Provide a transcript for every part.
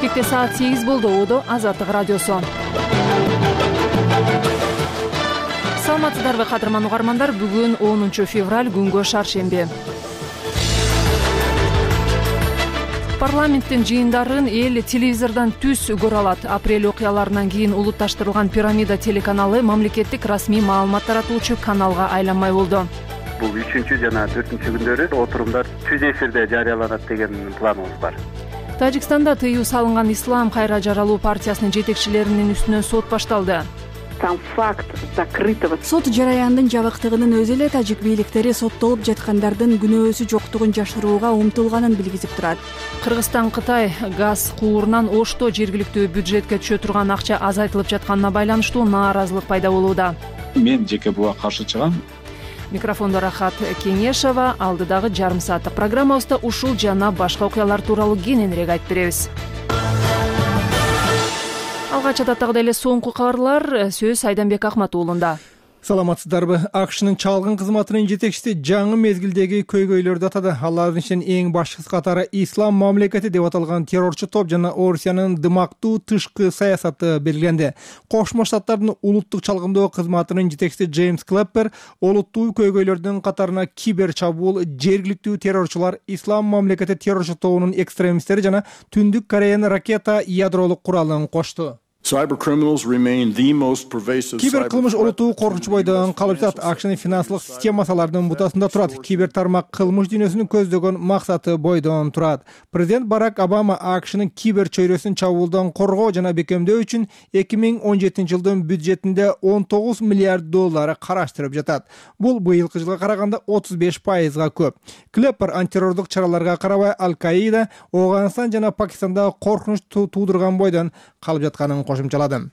Бишкекте саат 8 болду. Одо Азаттык радиосу. Саламатсыздарбы кадырман угармандар. Бүгүн 10 февраль, күнгө шаршемби. Парламенттин жыйындарын эл телевизордон түз көрө алат. Апрель окуяларынан кийин улутташтырылган Пирамида телеканалы мамлекеттик расмий маалымат таратуучу каналга айланмай болду. Бул 3 жана 4 күндөрү отурумдар түз эфирде жарыяланат деген планыбыз бар. Тажикстанда тыюу салынган Ислам кайра жаралуу партиясынын жетекчилеринин үстүнөн сот башталды. Сам факт закрытого сот жараянын жабыктыгынын өзү эле тажик бийликтери соттолуп жаткандардын күнөөсү жоктугун жашырууга умтулганын билгизип турат. Кыргызстан Кытай газ куурунан Ошто жергиликтүү бюджетке түшө турган акча азайтылып жатканына байланыштуу нааразылык пайда болууда. Мен жеке буга каршы чыгам. Микрофондо Рахат Кеңешова. Алдыдагы жарым сааттык программабызда ушул жана башка окуялар тууралуу кененирээк айтып беребиз. Алгач адаттагыдай эле соңку кабарлар. Сөз Айданбек Акматуулунда. Саламатсыздарбы? АКШнын чалгын кызматынын жетекчиси жаңы мезгилдеги көйгөйлөрдү атады. Алардын ичинен эң башкысы катары Ислам мамлекети деп аталган террорчу топ жана Орусиянын дымактуу тышкы саясаты белгиленди. Кошмо Штаттардын улуттук чалгындоо кызматынын жетекчиси Джеймс Клэппер олуттуу көйгөйлөрдүн катарына кибер чабуул, жергиликтүү террорчулар, Ислам мамлекети террорчу тобунун экстремисттери жана Түндүк Кореянын ракета ядролук куралын кошту. Кибер кылмыш олуттуу коркунуч бойдон калып жатат. АКШнын финансылык системасы алардын бутасында турат. Кибер тармак кылмыш дүйнөсүнүн көздөгөн максаты бойдон турат. Президент Барак Обама АКШнын кибер чөйрөсүн чабуулдан коргоо жана бекемдөө үчүн 2017 жылдын бюджетинде $19 миллиард караштырып жатат. Бул быйылкы жылга караганда 35%га көп. Клэппер антитеррордук чараларга карабай Аль-Каида Афганистан жана Пакистанда коркунуч туудурган бойдон калып жатканын кошумчалады.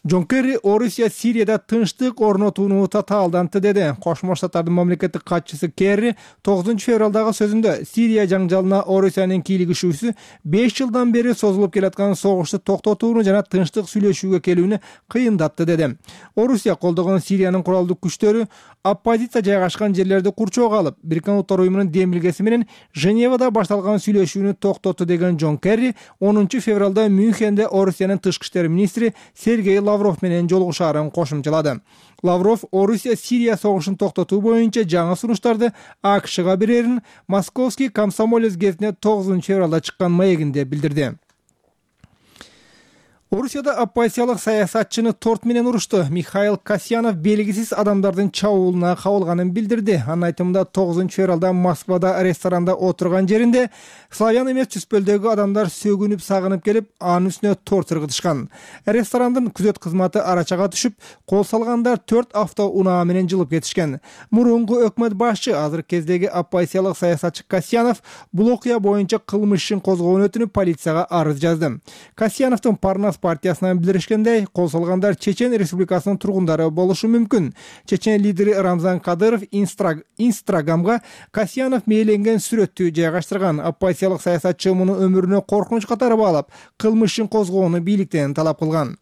Джон Керри Орусия Сирияда тынчтык орнотууну татаалдантты деди. Кошмо Штаттардын мамлекеттик катчысы Керри 9 февралдагы сөзүндө Сирия жаңжалына Орусиянын кийлигишүүсү 5 жылдан бери созулуп келаткан согушту токтотууну жана тынчтык сүйлөшүүгө келүүнү кыйындатты деди. Орусия колдогон Сириянын куралдуу күчтөрү оппозиция жайгашкан жерлерди курчоого алып, Бириккен Улуттар уюмунун демилгеси менен Женевада башталган сүйлөшүүнү токтотту деген Джон Керри 10 февралда Мюнхенде Орусиянын тышкы иштер министри Сергей Лавров менен жолугушаарын кошумчалады. Лавров Орусия Сирия согушун токтотуу боюнча жаңы сунуштарды АКШга берерин Московский комсомолец гезитине 9 февралда чыккан маегинде билдирди. Орусияда оппозициялык саясатчыны торт менен урушту. Михаил Касьянов белгисиз адамдардын чабуулуна кабылганын билдирди. Анын айтымында 9 февралда Москвада ресторанда отурган жеринде славян эмес түспөлдөгү адамдар сөгүнүп сагынып келип, анын үстүнө торт ыргытышкан. Ресторандын күзөт кызматы арачага түшүп, кол салгандар 4 автоунаа менен жылып кетишкен. Мурунку өкмөт башчы, азыркы кездеги оппозициялык саясатчы Касьянов бул окуя боюнча кылмыш ишин козгоонун өтүнүп полицияга арыз жазды. Касьяновдун Парнас партиясынан билдиришкендей, кол салгандар Чечен Республикасынын тургундары болушу мүмкүн. Чечен лидери Рамзан Кадыров Инстаграмга Касьянов мээленген сүрөттү жайгаштырган. Оппозициялык саясатчы муну өмүрүнө коркунуч катары баалап, кылмыш ишин козгоону бийликтен талап кылган.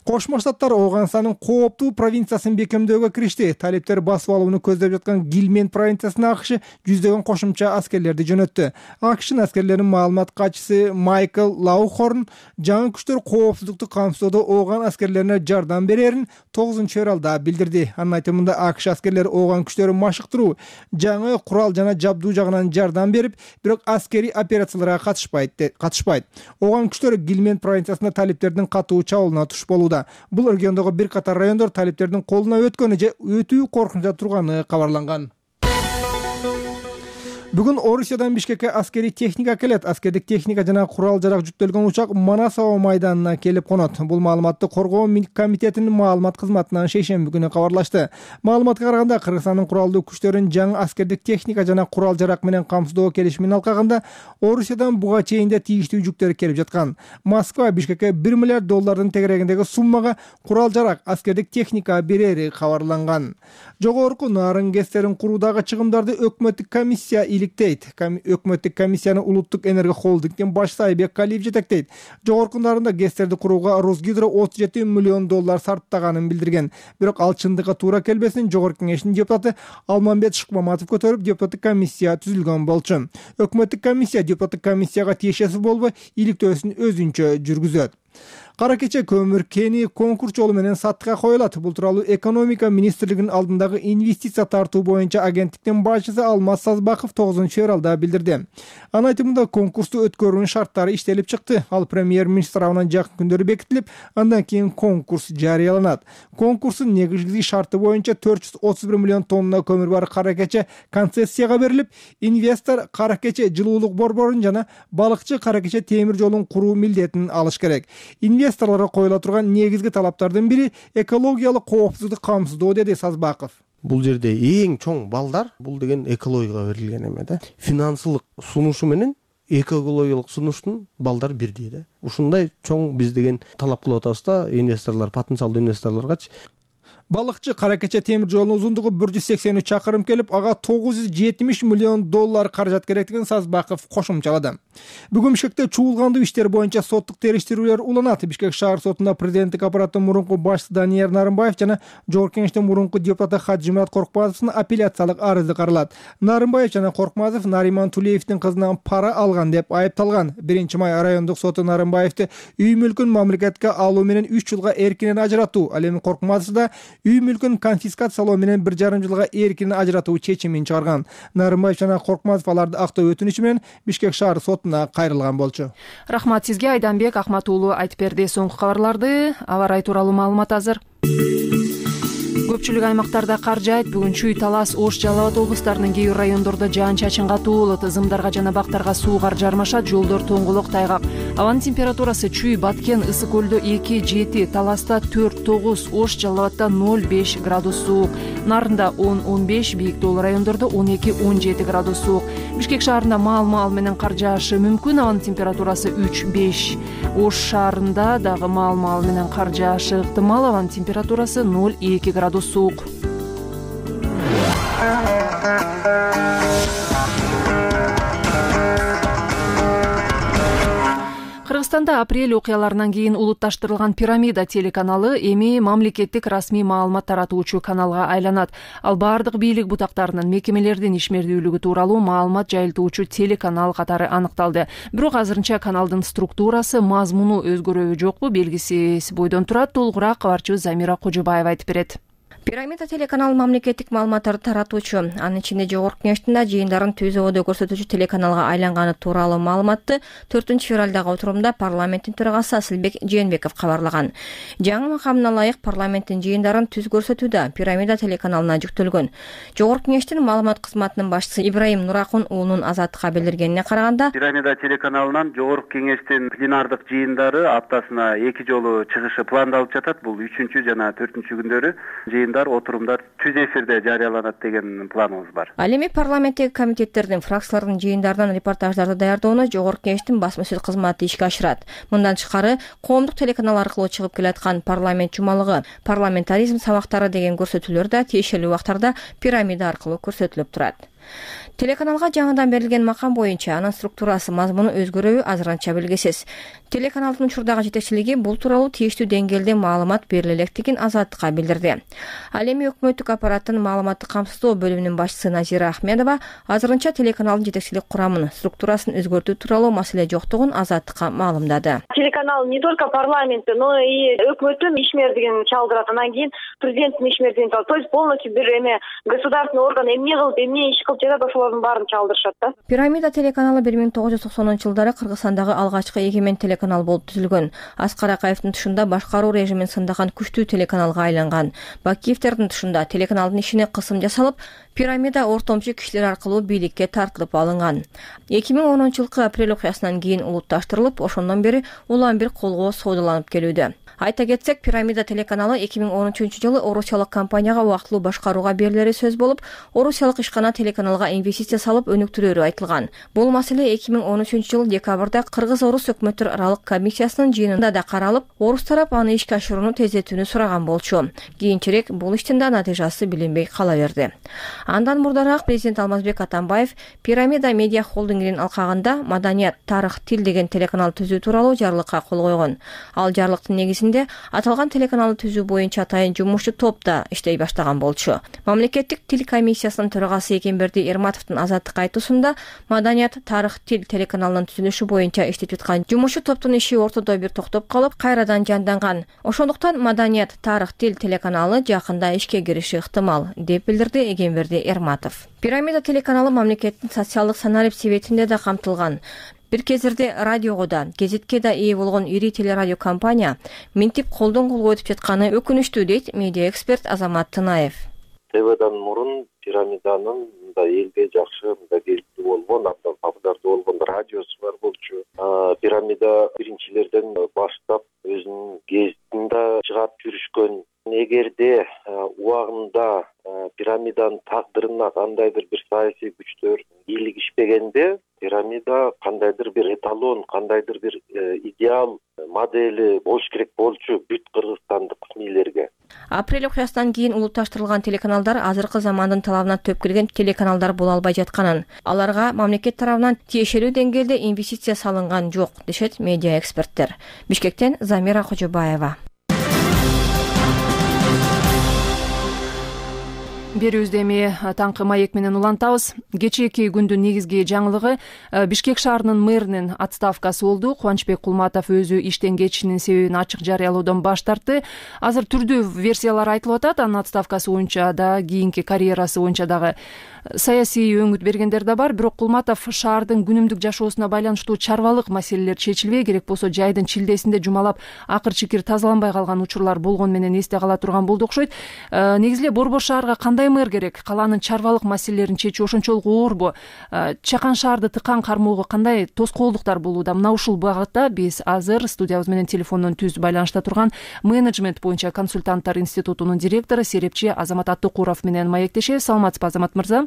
Кошмо Штаттар Афганистандын кооптуу провинциясын бекемдөөгө киришти. Талиптер басып алууну көздөп жаткан Гилмент провинциясына АКШ жүздөгөн кошумча аскерлерди жөнөттү. АКШнын аскерлеринин маалымат катчысы Майкл Лаухорн жаңы күчтөр коопсуздукту камсыздоодо Афган аскерлерине жардам берерин 9 февралда билдирди. Анын айтымында АКШ аскерлери Афган күчтөрүн машыктыруу, жаңы курал жана жабдуу жагынан жардам берип, бирок аскерий операцияларга катышпайт. Афган күчтөрү Гилмент провинциясында талиптердин катуу чабуулуна туш болууда. Бул региондогу бир катар райондор талиптердин колуна өткөнү же өтүү коркунучта турганы кабарланган. Бүгүн Орусиядан Бишкекке аскерий техника келет. Аскердик техника жана курал-жарак жүктөлгөн учак Манасово майданына келип конот. Бул маалыматты Коргоо комитетинин маалымат кызматынан шейшемби күнү кабарлашты. Маалыматка караганда, Кыргызстандын куралдуу күчтөрүн жаңы аскердик техника жана курал-жарак менен камсыздоо келишимин алкагында Орусиядан буга чейин да тийиштүү жүктөр келип жаткан. Москва Бишкекке $1 миллиард тегерегиндеги суммага курал-жарак, аскердик техника берери кабарланган. Жогорку нарын гэстерин куруудагы чыгымдарды өкмөттүк комиссия бийликтейт. Өкмөттүк комиссияны улуттук энергия холдингдин башчысы Айбек Калиев жетектейт. Жогоркундарында ГЭСтерди курууга Росгидро 37 миллион доллар сарптаганын билдирген. Бирок ал чындыкка туура келбесин Жогорку кеңештин депутаты Алмамбет Шыкмаматов көтөрүп, депутаттык комиссия түзүлгөн болчу. Өкмөттүк комиссия депутаттык комиссияга тиешеси болбой, иликтөөсүн өзүнчө жүргүзөт. Кара кече көмүр кени конкурс жолу менен сатышка коюлат. Бул тууралуу экономика министрлигинин алдындагы инвестиция тартуу боюнча агенттиктин башчысы Алмаз Сазбаков 9-февралда билдирди. Анын айтымында конкурсту өткөрүүнүн шарттары иштелип чыкты. Ал премьер-министр тарабынан жакын күндөрү бекитилип, андан кийин конкурс жарыяланат. Конкурстун негизги шарты боюнча 431 миллион тонна көмүр бар кара кече концессияга берилип, инвестор кара кече жылуулук борборун жана балыкчы кара кече темир жолун куруу милдетин алыш керек. Инвесторлорго коюла турган негизги талаптардын бири экологиялык коопсуздук камсыздоо, деди Сазбаков. Бул жерде эң чоң балдар бул деген экологияга берилген эме да. Финансылык сунушу менен экологиялык сунуштун балдар бирдей да. Ушундай чоң биз деген талап кылып атабыз да инвесторлор, потенциалдуу инвесторлоргачы. Балыкчы кара кече темир жолунун узундугу 183 чакырым келип, ага 970 миллион доллар каражат керектигин Сазбаков кошумчалады. Бүгүн Бишкекте чуулгандуу иштер боюнча соттук териштирүүлөр уланат. Бишкек шаар сотунда президенттик аппараттын мурунку башчысы Данияр Нарымбаев жана Жогорку кеңештин мурунку депутаты Хаджимурат Коркмазовдун апелляциялык арызы каралат. Нарымбаев жана Коркмазов Нариман Тулеевдин кызынан пара алган деп айыпталган. 1-май райондук соту Нарымбаевди үй мүлкүн мамлекетке алуу менен 3 жылга эркинен ажыратуу, ал эми Коркмазов да үй мүлкүн конфискациялоо менен 1,5 жылга эркинен ажыратуу чечимин чыгарган. Нарымбаев жана Коркмазов аларды актоо өтүнүчү менен Бишкек шаар сотуна кайрылган болчу. Рахмат сизге, Айданбек Ахмат уулу айтып берди. Соңку кабарларды, аба ырайы тууралуу маалымат азыр. Көпчүлүк аймактарда кар жаайт. Бүгүн Чүй, Талас, Ош, Жалал Абад облустарынын кээ бир райондордо жаан-чачын катуу болот. Зымдарга жана бактарга суу кар жармашат, жолдор тоңголок, тайгак. Абанын температурасы Чүй, Баткен, Ысык көлдө 2-7, Таласта 4-9, Ош, Жалал Абадта 0-5 градус суук, Нарында 10-15, бийик тоолуу райондордо 12-17 градус суук. Бишкек шаарында маал менен кар жаашы мүмкүн. Абанын температурасы 3-5. Ош шаарында дагы маал менен кар жаашы ыктымал. Абанын температурасы 0-2 градус суук. Кыргызстанда апрель окуяларынан кийин улутташтырылган Пирамида телеканалы эми мамлекеттик расмий маалымат таратуучу каналга айланат. Ал бардык бийлик бутактарынын, мекемелердин ишмердүүлүгү тууралуу маалымат жайылтуучу телеканал катары аныкталды. Бирок азырынча каналдын структурасы, мазмуну өзгөрөбү жокпу белгисиз бойдон турат. Толугураак кабарчыбыз Замира Кожобаева айтып берет. Пирамида телеканалы мамлекеттик маалыматтарды таратуучу, анын ичинде Жогорку кеңештин жыйындарын түз абада көрсөтүүчү телеканалга айланганы тууралуу маалыматты 4-февралдагы отурумда парламенттин төрагасы Асылбек Жээнбеков кабарлаган. Жаңы макамына ылайык парламенттин жыйындарын түз көрсөтүүдө Пирамида телеканалына жүктөлгөн. Жогорку кеңештин маалымат кызматынын башчысы Ибраим Нуракун уулунун Азаттыкка билдиргенине караганда, Пирамида телеканалынан Жогорку кеңештин пленардык жыйындары аптасына 2 жолу чыгышы пландалып жатат. Бул 3 жана 4 күндөрү отурумдар түз эфирде жарыяланат деген планыбыз бар. Ал эми парламенттеги комитеттердин, фракциялардын жыйындарынан репортаждарды даярдоону Жогорку кеңештин басма сөз кызматы ишке ашырат. Мындан тышкары, коомдук телеканал аркылуу чыгып келаткан парламент жумалыгы, парламентаризм сабактары деген көрсөтүүлөр да тиешелүү убактарда Пирамида аркылуу көрсөтүлүп турат. Телеканалга жаңыдан берилген макам боюнча анын структурасы, мазмуну өзгөрөбү азырынча белгисиз. Телеканалдын учурдагы жетекчилиги бул тууралуу тийиштүү деңгээлде маалымат бериле электигин Азаттыкка билдирди. Ал эми өкмөттүк аппараттын маалыматтык камсыздоо бөлүмүнүн башчысы Назира Ахмедова азырынча телеканалдын жетекчилик курамын, структурасын өзгөртүү тууралуу маселе жоктугун Азаттыкка маалымдады. Телеканал не только парламентте, но и өкмөттүн ишмердигин чалдырат, анан кийин президенттин ишмердигин чалдырат. То есть полностью бир эме государственный орган эмне кылып, эмне иш кылып жатат, ошолордун баарын чалдырышат да. Пирамида телеканалы 1990-жылдары Кыргызстандагы алгачкы эгемен телеканал болуп түзүлгөн. Аскар Акаевдин тушунда башкаруу режимин сындаган күчтүү телеканалга айланган. Бакиевдердин тушунда телеканалдын ишине кысым жасалып, Пирамида ортомчу кишилер аркылуу бийликке тартылып алынган. 2010-жылкы апрель окуясынан кийин улутташтырылып, ошондон бери улам бир колго соодаланып келүүдө. Айта кетсек, Пирамида телеканалы 2013-жылы Орусиялык компанияга убактылуу башкарууга берилери сөз болуп, Орусиялык ишкана телеканалга инвестиция салып өнүктүрөөрү айтылган. Бул маселе 2013-жылы декабрда Кыргыз-Орус өкмөттөр аралык комиссиясынын жыйынында да каралып, орус тарап аны ишке ашырууну тездетүүнү сураган болчу. Кийинчерээк бул иштин да натыйжасы билинбей кала берди. Андан мурдараак президент Алмазбек Атамбаев Пирамида медиа холдингинин алкагында Маданият, тарых, тил деген телеканал түзүү тууралуу жарлыкка кол койгон. Ал жарлыктын негизинде аталган телеканалды түзүү боюнча атайын жумушчу топ да иштей баштаган болчу. Мамлекеттик тил комиссиясынын төрагасы Экенберди Эрматовдун азаттыкка айтуусунда Маданият, тарых, тил телеканалынын түзүлүшү боюнча иштеп жаткан жумушчу топтун иши ортодо бир токтоп калып, кайрадан жанданган. Ошондуктан Маданият, тарых, тил телеканалы жакында ишке кириши ыктымал, деп билдирди Экенберди Эрматов. Пирамида телеканалы мамлекеттин социалдык саналип себетинде да камтылган. Бир кездерде радиого да, гезитке да ээ болгон ири телерадио компания минтип колдон колго өтүп жатканы өкүнүчтүү, дейт медиа эксперт Азамат Тынаев. ТВдан мурун Пирамиданын да элге жакшы, келиптүү болгон, абдан популярдуу болгон радиосу бар болчу. Пирамида биринчилерден баштап өзүнүн гезитин да чыгарып жүрүшкөн. Эгерде убагында Пирамиданын тагдырына кандайдыр бир саясий күчтөр бийлигишпегенде, Пирамида кандайдыр бир эталон, кандайдыр бир идеал модели болуш керек болчу бүт кыргызстандык СМИлерге. Апрель окуясынан кийин улутташтырылган телеканалдар азыркы замандын талабына төп келген телеканалдар боло албай жатканын, аларга мамлекет тарабынан тиешелүү деңгээлде инвестиция салынган жок, дешет медиа эксперттер. Бишкектен Замира Кожобаева. Берүүбүздү эми таңкы маек менен улантабыз. Кечээки күндүн негизги жаңылыгы Бишкек шаарынын мэринин отставкасы болду. Кубанычбек Кулматов өзү иштен кетишинин себебин ачык жарыялоодон баш тартты. Азыр түрдүү версиялар айтылып атат. Анын отставкасы боюнча да, кийинки карьерасы боюнча дагы саясий өңүт бергендер да бар. Бирок Кулматов шаардын күнүмдүк жашоосуна байланыштуу чарбалык маселелер чечилбей, керек болсо жайдын чилдесинде жумалап акыр чикир тазаланбай калган учурлар болгон менен эсте кала турган болду окшойт. Негизи эле Борбор шаарга кандай мэр керек? Калаанын чарбалык маселелерин чечүү ошончолук оорбу? Чакан шаарды тыкан кармоого кандай тоскоолдуктар болууда? Мына ушул багытта биз азыр студиябыз менен телефондон түз байланышта турган менеджмент боюнча консультанттар институтунун директору, серепчи Азамат Аттыкуров менен маектешебиз. Саламатсызбы, Азамат мырза?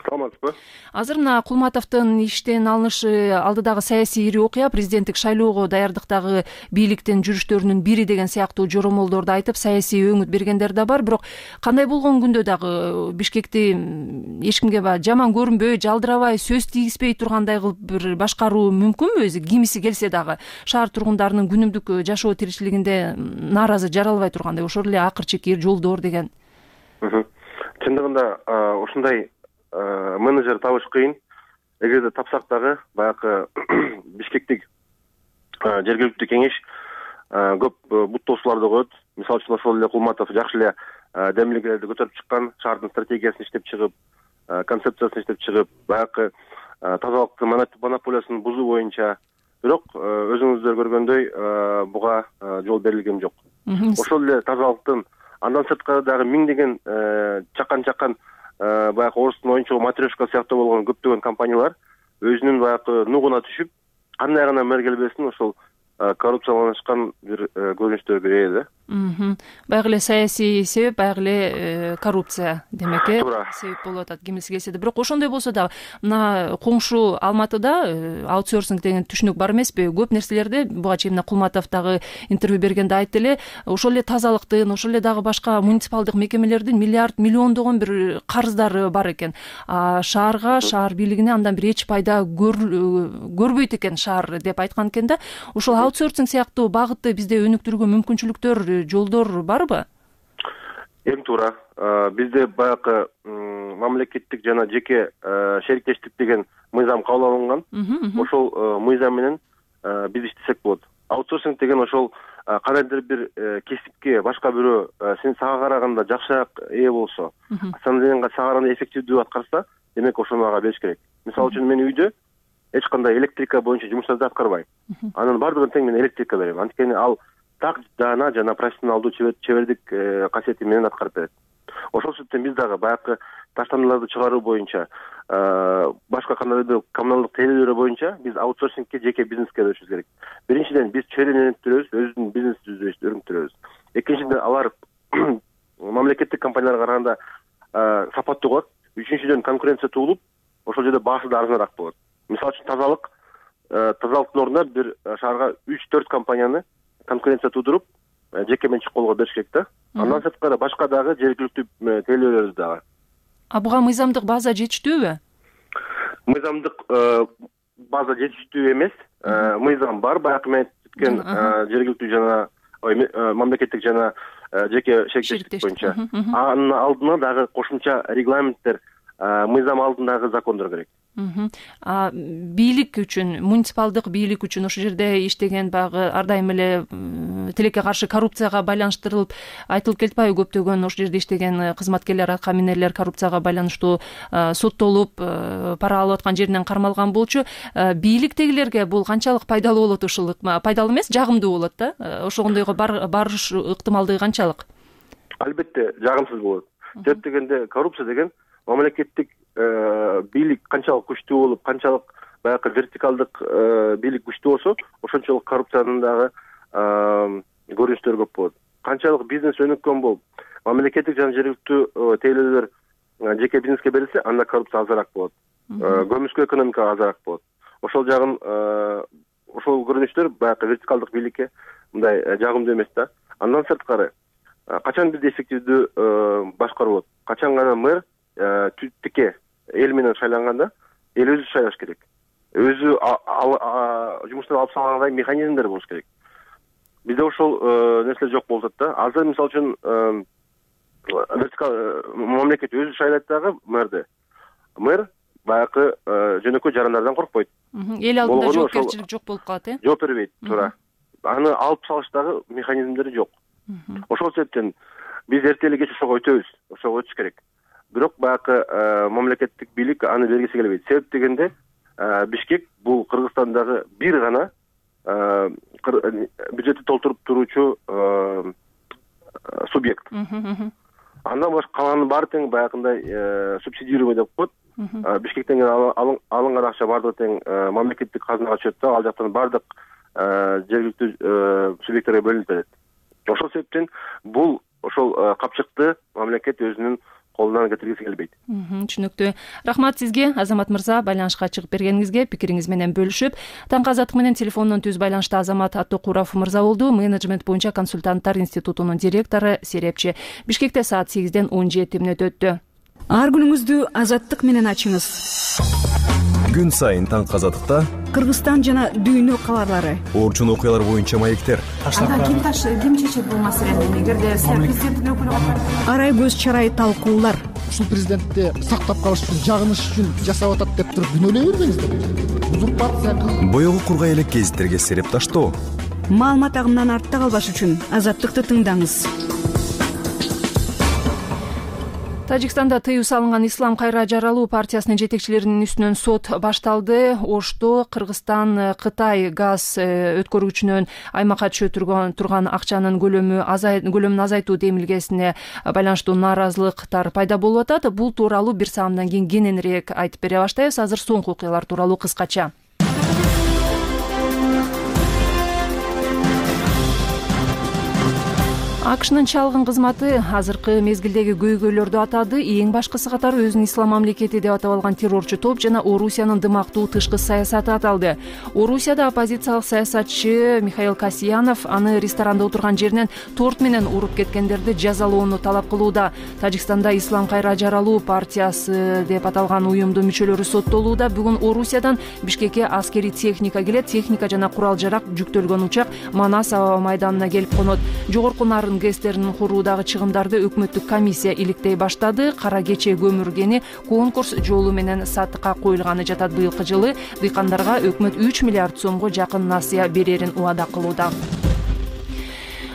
Саламатсызбы. Азыр мына Кулматовдун иштен алынышы алдыдагы саясий ири окуя, президенттик шайлоого даярдыктагы бийликтин жүрүштөрүнүн бири деген сыяктуу жоромолдорду айтып, саясий өңүт бергендер да бар. Бирок кандай болгон күндө дагы Бишкекти эч кимге жаман көрүнбөй, жалдырабай, сөз тийгизбей тургандай кылып бир башкаруу мүмкүнбү? Өзү кимиси келсе дагы шаар тургундарынын күнүмдүк жашоо тиричилигинде нааразы жаралбай тургандай, ошол эле акыр чекир жолдор деген. Чындыгында ушундай менеджер табыш кыйын. Эгерде тапсак дагы баягы Бишкектик жергиликтүү кеңеш көп буттоосуларды коет. Мисалы үчүн ошол эле Кулматов жакшы эле демилгелерди көтөрүп чыккан, шаардын стратегиясын иштеп чыгып, концепциясын иштеп чыгып, баягы тазалыктын монополиясын бузуу боюнча. Бирок өзүңүздөр көргөндөй буга жол берилген жок. Ошол эле тазалыктын андан сырткары дагы миңдеген чакан баягы орустун оюнчугу Матрешка сыяктуу болгон көптөгөн компаниялар өзүнүн баягы нугуна түшүп, кандай гана мэр келбесин ошол коррупцияланышкан бир көрүнүштөр берет да. Баягы эле саясий себеп, баягы эле коррупция демек себеп болуп атат кимиси келсе да. Бирок ошондой болсо да мына коңшу Алматыда аутсорсинг деген түшүнүк бар эмеспи? Көп нерселерди буга чейин мына Кулматов дагы интервью бергенде айтты эле, ошол эле тазалыктын, ошол эле дагы башка муниципалдык мекемелердин миллиондогон бир карыздары бар экен. Шаарга, шаар бийлигине андан бир эч пайда көрбөйт экен шаар деп айткан экен да. Ошол аутсорсинг сыяктуу багытты бизде өнүктүрүүгө мүмкүнчүлүктөр, жолдор барбы? Эң туура. Бизде баягы мамлекеттик жана жеке шериктештик деген мыйзам кабыл алынган. Ошол мыйзам менен биз иштесек болот. Аутсорсинг деген ошол кандайдыр бир кесипке башка бирөө сага караганда жакшыраак ээ болсо, сага караганда эффективдүү аткарса, демек ошону ага бериш керек. Мисалы үчүн мен үйдө эч кандай электрика боюнча жумуштарды аткарбайм. Анын бардыгын тең мен электрикке берем. Анткени ал так жана профессионалдуу чебердик касиети менен аткарып берет. Ошол себептен биз дагы баягы таштандыларды чыгаруу боюнча башка кандайдыр коммуналдык тейлөөлөр боюнча биз аутсорсингке жеке бизнеске өтүшүбүз керек. Биринчиден биз чөйрөнү өнүктүрөбүз, өзүбүздүн бизнесибизди өнүктүрөбүз. Экинчиден алар мамлекеттик компанияларга караганда сапаттуу болот. Үчүнчүдөн конкуренция туулуп, ошол жерде баасы да арзаныраак болот. Мисалы үчүн тазалыктын ордуна бир шаарга 3-4 компанияны конкуренция туудуруп, жеке менчик колго бериш керек да. Андан сырткары башка дагы жергиликтүү тейлөөлөр дагы. Буга мыйзамдык база жетиштүүбү? Мыйзамдык база жетиштүү эмес. Мыйзам бар, баягы мен өткөн жергиликтүү жана мамлекеттик жана жеке шерикчилик боюнча. Анын алдына дагы кошумча регламенттер, мыйзам алдындагы закондор керек. Бийлик үчүн, муниципалдык бийлик үчүн ошол жерде иштеген баягы ар дайым эле тилекке каршы коррупцияга байланыштырылып айтылып келатпайбы? Көптөгөн ошол жерде иштеген кызматкерлер, атка коррупцияга байланыштуу соттолуп, пара алып аткан жеринен кармалган болчу. Бийликтегилерге бул канчалык пайдалуу болот? Ушул пайдалуу эмес, жагымдуу болот да? Ошондойго барыш ыктымалдыгы канчалык? Албетте жагымсыз болот. Себеп дегенде коррупция деген мамлекеттик бийлик канчалык күчтүү болуп, канчалык баягы вертикалдык бийлик күчтүү болсо, ошончолук коррупциянын дагы көрүнүштөрү көп болот. Канчалык бизнес өнүккөн болуп, мамлекеттик жана жергиликтүү тейлөөлөр жеке бизнеске берилсе, анда коррупция азыраак болот. Көмүскө экономика азыраак болот. Ошол жагын ошол көрүнүштөр баягы вертикалдык бийликке мындай жагымдуу эмес да. Андан сырткары качан бизде эффективдүү башкаруу болот? Качан гана мэр тике эл менен шайланганда, эл өзү шайлаш керек. Өзү жумуштан алып салгандай механизмдер болуш керек. Бизде ошол нерселер жок болуп атат да. Азыр мисалы үчүн мамлекет өзү шайлайт дагы мэрди. Мэр баягы жөнөкөй жарандардан коркпойт. Эл алдында жоопкерчилик жок болуп калат, Жооп бербейт, туура. Аны алып салыштагы механизмдери жок. Ошол себептен биз эртели кеч ошого өтөбүз, ошого өтүш керек. Бирок баягы мамлекеттик бийлик аны бергиси келбейт. Себеп дегенде Бишкек бул Кыргызстандагы бир гана бюджетти толтуруп туруучу субъект. Андан башка калганын баары тең баягындай субсидирование деп коет. Бишкектен алынган акча баардыгы тең мамлекеттик казынага түшөт да, ал жактан баардык жергиликтүү субъекттерге бөлүнүп берет. Ошол себептен бул ошол капчыкты мамлекет өзүнүн колунан кетиргиси келбейт. Түшүнүктүү. Рахмат сизге, Азамат мырза, байланышка чыгып бергениңизге, пикириңиз менен бөлүшүп. Таңкы азаттык менен телефондон түз байланышта Азамат Аттокуров мырза болду, менеджмент боюнча консультанттар институтунун директору, серепчи. Бишкекте саат 8-ден 17 өттү. Ар күнүңүздү азаттык менен ачыңыз. Күн сайын таңкы азаттыкта Кыргызстан жана дүйнө кабарлары, орчун окуялар боюнча маектер. Ким чечет бул маселени? Эгерде президенттин өкүлү арай көз чарай талкуулар. Ушул президентти сактап калыш үчүн, жагыныш үчүн жасап атат деп туруп күнөөлөй бербеңиздер. Узурпация кылып боёгу кургай элек гезиттерге сереп таштоо. Маалымат агымынан артта калбаш үчүн азаттыкты тыңдаңыз. Тажикстанда тыюу салынган Ислам кайра жаралуу партиясынын жетекчилеринин үстүнөн сот башталды. Ошто Кыргызстан Кытай газ өткөргүчүнөн аймакка түшө турган акчанын көлөмүн азайтуу демилгесине байланыштуу нааразылыктар пайда болуп атат. Бул тууралуу бир саамдан кийин кененирээк айтып бере баштайбыз. Азыр соңку окуялар тууралуу кыскача. АКШнын чалгын кызматы азыркы мезгилдеги көйгөйлөрдү атады. Эң башкысы катары өзүн ислам мамлекети деп атап алган террорчу топ жана Орусиянын дымактуу тышкы саясаты аталды. Орусияда оппозициялык саясатчы Михаил Касьянов аны ресторанда отурган жеринен торт менен уруп кеткендерди жазалоону талап кылууда. Тажикстанда Ислам кайра жаралуу партиясы деп аталган уюмдун мүчөлөрү соттолууда. Бүгүн Орусиядан Бишкекке аскерий техника келет. Техника жана курал-жарак жүктөлгөн учак Манас аба майданына келип конот. Жогорку нарын ГЭСтерин куруудагы чыгымдарды өкмөттүк комиссия иликтей баштады. Кара кече көмүр кени конкурс жолу менен сатыкка коюлганы жатат. Быйылкы жылы дыйкандарга өкмөт 3 миллиард сомго жакын насыя берерин убада кылууда.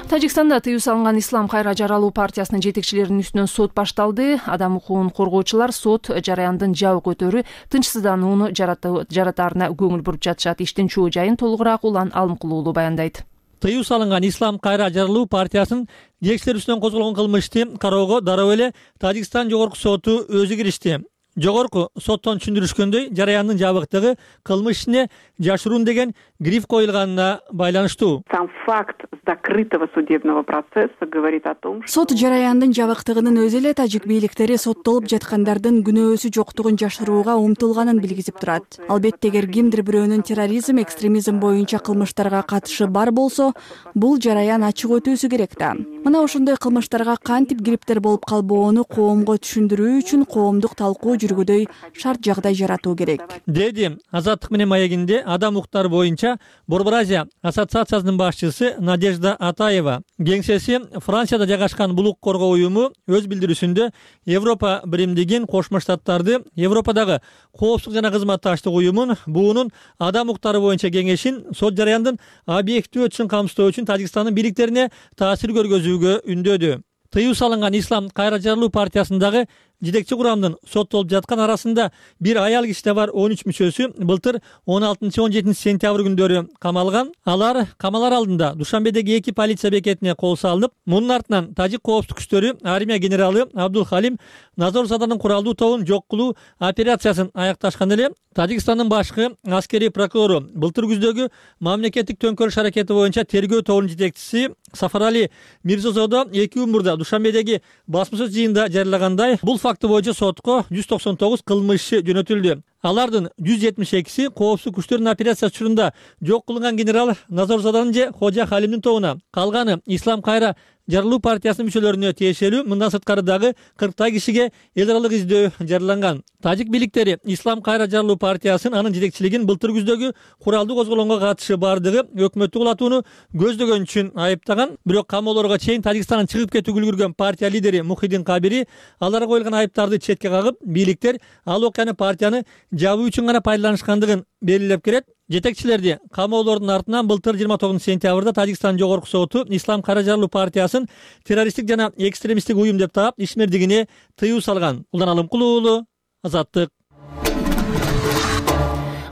Тажикстанда тыюу салынган Ислам кайра жаралуу партиясынын жетекчилеринин үстүнөн сот башталды. Адам укугун коргоочулар сот жараяндын жабык өтөрү тынчсызданууну жаратаарына көңүл буруп жатышат. Иштин чоо жайын толугураак Улан Алымкулуулу баяндайт. Тыюу салынган Ислам кайра жарылуу партиясынын жетекчилери үстүнөн козголгон кылмышты кароого дароо эле Тажикстан жогорку соту өзү киришти. Жогорку соттон түшүндүрүшкөндөй, жараяндын жабыктыгы кылмыш ишине жашыруун деген гриф коюлганына байланыштуу. Сам факт закрытого судебного процесса говорит о том, что сот жараяндын жабыктыгынын өзү эле тажик бийликтери соттолуп жаткандардын күнөөсү жоктугун жашырууга умтулганын билгизип турат. Албетте, эгер кимдир бирөөнүн терроризм, экстремизм боюнча кылмыштарга катышы бар болсо, бул жараян ачык өтүүсү керек да. Мына ошондой кылмыштарга кантип кириптер болуп калбоону коомго түшүндүрүү үчүн коомдук талкуу жүргүдөй шарт жагдай жаратуу керек, деди Азаттык менен маегинде адам укуктары боюнча Борбор Азия ассоциациясынын башчысы Надежда Атаева. Кеңсеси Францияда жайгашкан бул укук коргоо уюму өз билдирүүсүндө Европа биримдигин, Кошмо Штаттарды, Европадагы коопсуздук жана кызматташтык уюмун, буунун адам укуктары боюнча кеңешин сот жараяндын объектив өтүшүн камсыздоо үчүн Тажикстандын бийликтерине таасир көргөзүүгө үндөдү. Тыюу салынган Ислам кайра жарылуу партиясындагы жетекчи курамдын соттолуп жаткан арасында бир аял киши да бар. 13 мүчөсү былтыр 16-17 сентябрь күндөрү камалган. Алар камалар алдында Душанбедеги 2 полиция бекетине кол салынып, мунун артынан тажик коопсуздук күчтөрү армия генералы Абдул Халим Назорзаданын куралдуу тобун жок кылуу операциясын аякташкан эле Тажикстандын башкы аскерий прокурору былтыр күздөгү мамлекеттик төңкөрүш аракети боюнча тергөө тобунун жетекчиси Сафарали Мирзозодо 2 күн мурда Душанбедеги басма сөз жыйынында жарыягандай, бул факты боюнча сотко 199 кылмыш иши жөнөтүлдү. Алардын 172си коопсуздук күчтөрүнүн операциясы учурунда жок кылынган генерал Назорзаданын же Хожа Халимдин тобуна, калганы Ислам кайра жарылуу партиясынын мүчөлөрүнө тиешелүү. Мындан сырткары дагы 40 кишиге эл аралык издөө жарыяланган. Тажик бийликтери Ислам кайра жарылуу партиясынын анын жетекчилигин былтыр күздөгү куралдуу козголоңго катышы бардыгы өкмөттү кулатууну көздөгөн үчүн айыптаган. Бирок камоолорго чейин Тажикстандан чыгып кетүүгө үлгүргөн партия лидери Мухиддин Кабири аларга коюлган айыптарды четке кагып, бийликтер ал окуяны партияны жабуу үчүн гана пайдаланышкандыгын белгилеп келет. Жетекчилерди камоолордун артынан былтыр 29 сентябрда Тажикстан жогорку соту Ислам кайра жарылуу партиясын террористтик жана экстремисттик уюм деп таап ишмердигине тыюу салган. Улан Алымкулуу уулу, Азаттык.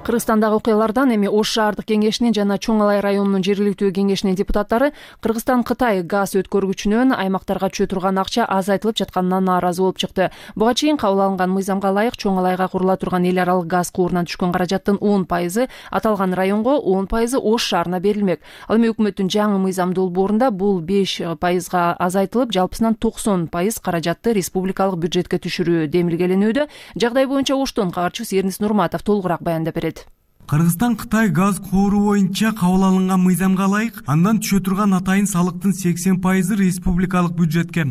Кыргызстандагы окуялардан эми Ош шаардык кеңешинин жана Чоң Алай районунун жергиликтүү кеңешинин депутаттары Кыргызстан-Кытай газ өткөргүчүнөн аймактарга түшө турган акча азайтылып жатканына нааразы болуп чыкты. Буга чейин кабыл алынган мыйзамга ылайык Чоң Алайга курула турган эл аралык газ куурунан түшкөн каражаттын 10% аталган районго, 10% Ош шаарына берилмек. Ал эми өкмөттүн жаңы мыйзам долбоорунда бул 5%га азайтылып, жалпысынан 90% каражатты республикалык бюджетке түшүрүү демилгеленүүдө. Жагдай боюнча Оштон кабарчыбыз Эрнис Нурматов толугураак баяндап берет. Кыргызстан-Кытай газ кууруу боюнча кабыл алынган мыйзамга ылайык андан түшө турган атайын салыктын 80% республикалык бюджетке,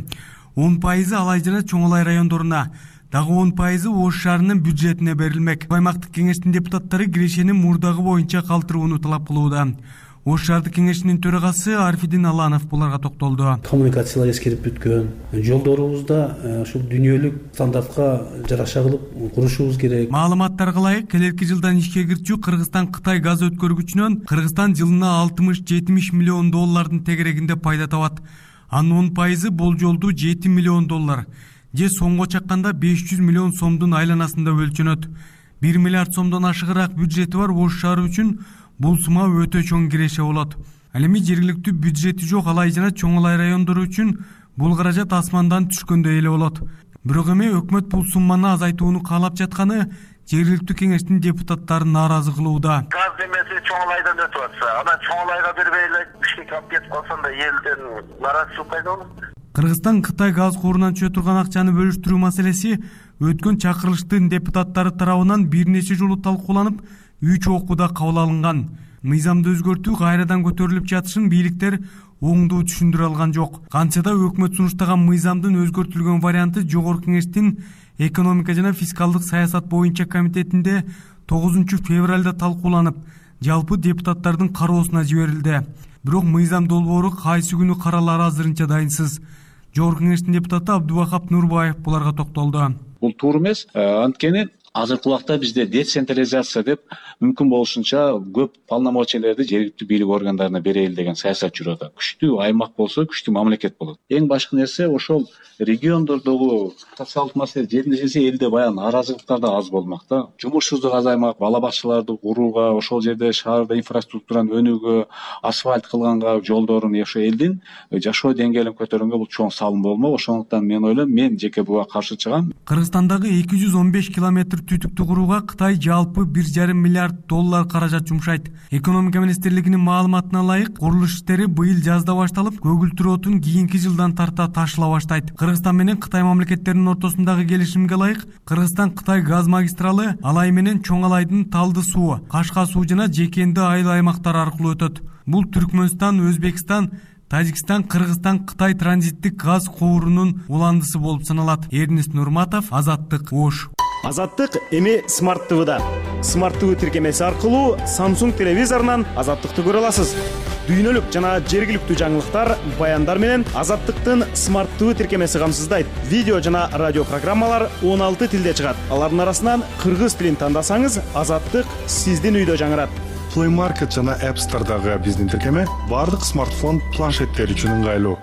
10% Алай жана Чоң Алай райондоруна, дагы 10% Ош шаарынын бюджетине берилмек. Аймактык кеңештин депутаттары кирешени мурдагы боюнча калтырууну талап кылууда. Ош шаардык кеңешинин төрагасы Арфидин Аланов буларга токтолду. Коммуникациялар эскерип бүткөн, жолдорубузда ушул дүйнөлүк стандартка жараша кылып курушубуз керек. Маалыматтарга ылайык, келерки жылдан ишке кирчү Кыргызстан-Кытай газ өткөргүчүнөн Кыргызстан жылына 60-70 миллион доллардын тегерегинде пайда табат. Анын 10% болжолдуу 7 миллион доллар, же сомго чакканда 500 миллион сомдун айланасында өлчөнөт. 1 миллиард сомдон ашыгыраак бюджети бар Ош шаары үчүн бул сума өтө чоң киреше болот. Ал эми жергиликтүү бюджети жок Алай жана Чоң Алай райондору үчүн бул каражат асмандан түшкөндөй эле болот. Бирок эми өкмөт бул сумманы азайтууну каалап жатканы жергиликтүү кеңештин депутаттарын нааразы кылууда. Газ демеси Чоң Алайдан өтүп атса, анан Чоң Алайга бербей эле Бишкекке алып кетип калсанда элден нааразычылык пайда болот. Кыргызстан-Кытай газ куурунан түшө турган акчаны бөлүштүрүү маселеси өткөн чакырылыштын депутаттары тарабынан бир нече жолу талкууланып, 3 окууда кабыл алынган. Мыйзамды өзгөртүү кайрадан көтөрүлүп жатышын бийликтер оңдуу түшүндүрө алган жок. Кантсе да өкмөт сунуштаган мыйзамдын өзгөртүлгөн варианты Жогорку кеңештин экономика жана фискалдык саясат боюнча комитетинде 9 февралда талкууланып, жалпы депутаттардын кароосуна жиберилди. Бирок мыйзам долбоору кайсы күнү каралары азырынча дайынсыз. Жогорку кеңештин депутаты Абдубахап Нурбаев буларга токтолду. Бул туура эмес. Анткени азыркы убакта бизде децентрализация деп мүмкүн болушунча көп полномочиялерди жергиликтүү бийлик органдарына берели деген саясат жүрүп атат. Күчтүү аймак болсо күчтүү мамлекет болот. Эң башкы нерсе ошол региондордогу социалдык маселе жеринде жесе элде баягы нааразылыктар да аз болмок да. Жумушсуздук азаймак, бала бакчаларды курууга, ошол жерде шаарда инфраструктураны өнүүгө, асфальт кылганга, жолдорун ошо элдин жашоо деңгээлин көтөргөнгө бул чоң салым болмок. Ошондуктан мен ойлойм, мен жеке буга каршы чыгам. Кыргызстандагы 215 километр түтүктү курууга Кытай жалпы 1,5 миллиард доллар каражат жумшайт. Экономика министрлигинин маалыматына ылайык, курулуш иштери быйыл жазда башталып, көгүлтүр отун кийинки жылдан тарта ташыла баштайт. Кыргызстан менен Кытай мамлекеттеринин ортосундагы келишимге ылайык, Кыргызстан-Кытай газ магистралы Алай менен Чоң Алайдын Талды суу, Кашка суу жана Жекенди айыл аймактары аркылуу өтөт. Бул Түркмөнстан, Өзбекстан, Тажикстан, Кыргызстан, Кытай транзиттик газ куурунун уландысы болуп саналат. Эрнест Нурматов, Азаттык, Ош. Азаттык эми Смарт ТВда. Смарт ТВ тиркемеси аркылуу Samsung телевизорунан Азаттыкты көрө аласыз. Дүйнөлүк жана жергиликтүү жаңылыктар, баяндар менен Азаттыктын Смарт ТВ тиркемеси камсыздайт. Видео жана радио программалар 16 тилде чыгат. Алардын арасынан кыргыз тилин тандасаңыз, Азаттык сиздин үйдө жаңырат. Play Market жана App Store'дагы биздин тиркеме бардык смартфон планшеттер үчүн ыңгайлуу.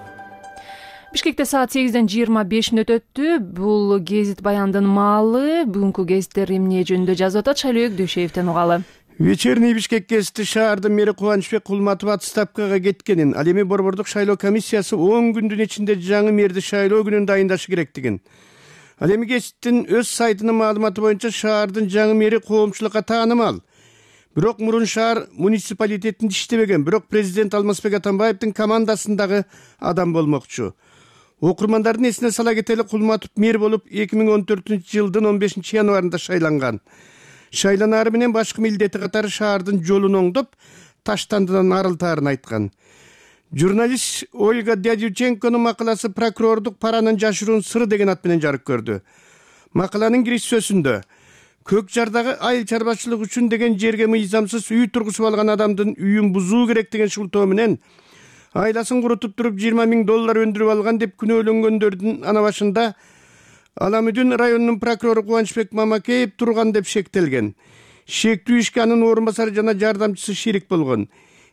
Бишкекте саат 8:25 өтөттү. Бул гезит баяндын маалы. Бүгүнкү гезиттер эмне жөнүндө жазып атат? Шайлоо Дөшеевден угалы. Вечерний Бишкек гезити шаардын мэри Кубанычбек Кулматов отставкага кеткенин, ал эми борбордук шайлоо комиссиясы 10 күндүн ичинде жаңы мэрди шайлоо күнүн дайындашы керектигин. Ал эми гезиттин өз сайтынын маалыматы боюнча шаардын жаңы мэри коомчулукка таанымал. Бирок мурун шаар муниципалитетинде иштебеген, бирок президент Алмазбек Атамбаевдин командасындагы адам болмокчу. Окурмандардын эсине сала кетели, Кулматов мэр болуп 2014-жылдын 15 январында шайланган. Шайланаары менен башкы милдети катары шаардын жолун оңдоп, таштандыдан арылтаарын айткан. Журналист Ольга Дядюченконун макаласы прокурордук паранын жашыруун сыры деген ат менен жарык көрдү. Макаланын кириш сөзүндө Көк жардагы айыл чарбачылык үчүн деген жерге мыйзамсыз үй тургузуп алган адамдын үйүн бузуу керек деген шылтоо менен айласын курутуп туруп $20,000 өндүрүп алган деп күнөөлөнгөндөрдүн ана башында Аламүдүн районунун прокурору Кубанычбек Мамакеев турган деп шектелген. Шектүү ишке анын орун басары жана жардамчысы шерик болгон.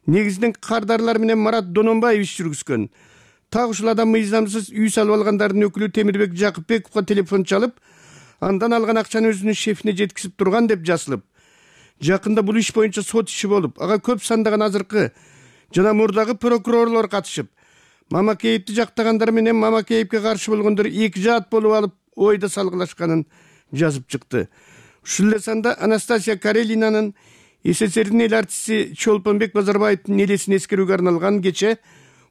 Негизинен кардарлар менен Марат Дононбаев иш жүргүзгөн. Так ушул адам мыйзамсыз үй салып алгандардын өкүлү Темирбек Жакыпбековго телефон чалып, андан алган акчаны өзүнүн шефине жеткизип турган деп жазылып. Жакында бул иш боюнча сот иши болуп, ага көп сандаган азыркы жана мурдагы прокурорлор катышып, Мамакеевди жактагандар менен Мамакеевге каршы болгондор эки жаат болуп алып ойда салгылашканын жазып чыкты. Ушул эле санда Анастасия Карелинанын СССРдин эл артисти Чолпонбек Базарбаевдин элесин эскерүүгө арналган кече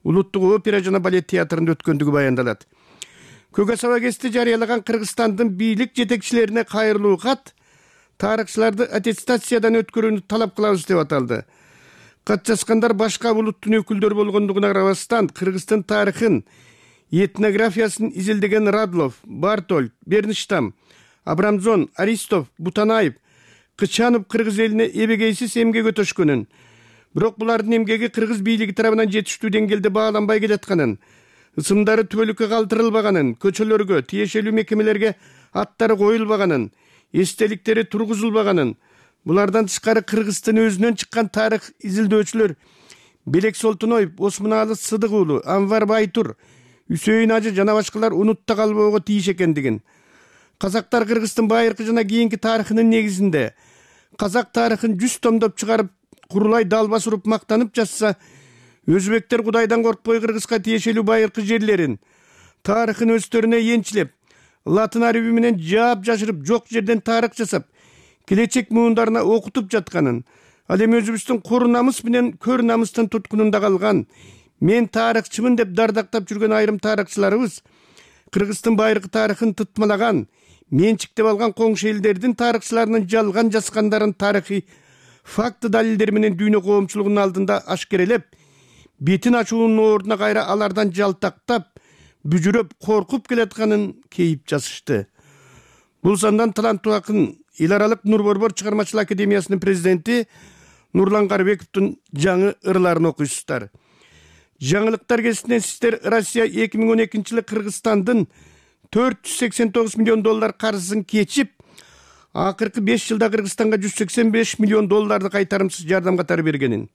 Улуттук опера жана балет театрында өткөндүгү баяндалат. Көк асаба гезити жарыялаган Кыргызстандын бийлик жетекчилерине кайрылуу кат тарыхчыларды аттестациядан өткөрүүнү талап кылабыз деп аталды. Кат жазгандар башка улуттун өкүлдөрү болгондугуна карабастан Кыргыздын тарыхын, этнографиясын изилдеген Радлов, Бартоль, Берништам, Абрамзон, Аристов, Бутанаев, Кычанов кыргыз элине эбегейсиз эмгек өтөшкөнүн, бирок булардын эмгеги кыргыз бийлиги тарабынан жетиштүү деңгээлде бааланбай келатканын, ысымдары түбөлүккө калтырылбаганын, көчөлөргө, тиешелүү мекемелерге аттары коюлбаганын, эстеликтери тургузулбаганын, булардан тышкары Кыргыздын өзүнөн чыккан тарых изилдөөчүлөр Белек Солтоноев, Осмуналы Сыдык уулу, Анвар Байтур, Үсөйүн Ажы жана башкалар унутта калбоого тийиш экендигин, казактар Кыргыздын байыркы жана кийинки тарыхынын негизинде казак тарыхын 100 томдоп чыгарып, курулай далбас уруп мактанып жазса, өзбектер кудайдан коркпой Кыргызга тиешелүү байыркы жерлерин, тарыхын өздөрүнө энчилеп, латын арби менен жаап жашырып, жок жерден тарых жасап, келечек муундарына окутуп жатканын, ал эми өзүбүздүн кор намыс менен көр намыстын туткунунда калган, мен тарыхчымын деп дардактап жүргөн айрым тарыхчыларыбыз Кыргыздын байыркы тарыхын тытмалаган, менчиктеп алган коңшу элдердин тарыхчыларынын жалган жазгандарын тарыхый факты далилдер менен дүйнө коомчулугунун алдында ашкерелеп, бетин ачуунун ордуна кайра алардан жалтактап, бүжүрөп, коркуп келатканын кейип жазышты. Бул сандан таланттуу акын, эл аралык Нур Борбор чыгармачылык академиясынын президенти Нурлан Карыбековдун жаңы ырларын окуйсуздар. Жаңылыктар гезитинен сиздер Россия 2012-жылы Кыргызстандын $489 миллион карызын кечип, акыркы 5 жылда Кыргызстанга $185 миллион кайтарымсыз жардам катары бергенин,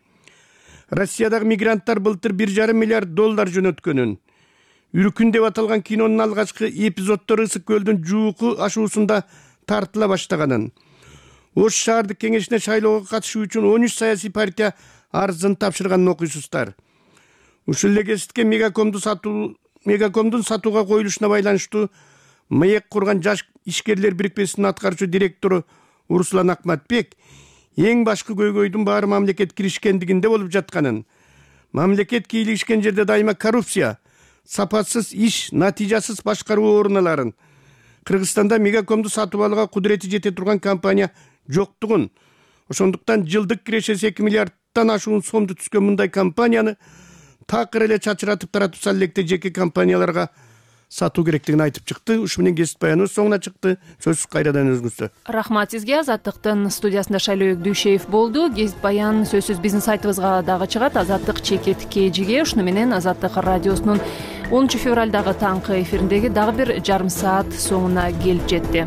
Россиядагы мигранттар былтыр $1,5 миллиард жөнөткөнүн, Үркүн деп аталган кинонун алгачкы эпизоддору Ысык көлдүн жууку ашуусунда тартыла баштаганын, Ош шаардык кеңешине шайлоого катышуу үчүн 13 саясий партия арызын тапшырганын окуйсуздар. Ушул эле кезекте Мегакомдун сатууга коюлушуна байланыштуу МАЕК курган жаш ишкерлер бирикмесинин аткаруучу директору Урсулан Акматбек эң башкы көйгөйдүн баары мамлекет киришкендигинде болуп жатканын, мамлекет кийлигишкен жерде дайыма коррупция, сапасыз иш, натыйжасыз башкаруу орун аларын, Кыргызстанда Мегакомду сатып алууга кудурети жете турган компания жоктугун, ошондуктан жылдык кирешеси 2 миллиардтан ашуун сомду түзгөн мындай компанияны такыр эле чачыратып таратып сал электе жеке компанияларга сатуу керектигин айтып чыкты. Ушу менен кесип баяныбыз соңуна чыкты. Сөз кайрадан өзүңүздө. Рахмат сизге. Азаттыктын студиясында Шайлоо Дүйшеев болду. Кесип баян сөзсүз биздин сайтыбызга дагы чыгат. Азаттык чекет KG'ге. Ушуну менен Азаттык радиосунун 10 февралдагы таңкы эфириндеги дагы бир жарым саат соңуна келип жетти.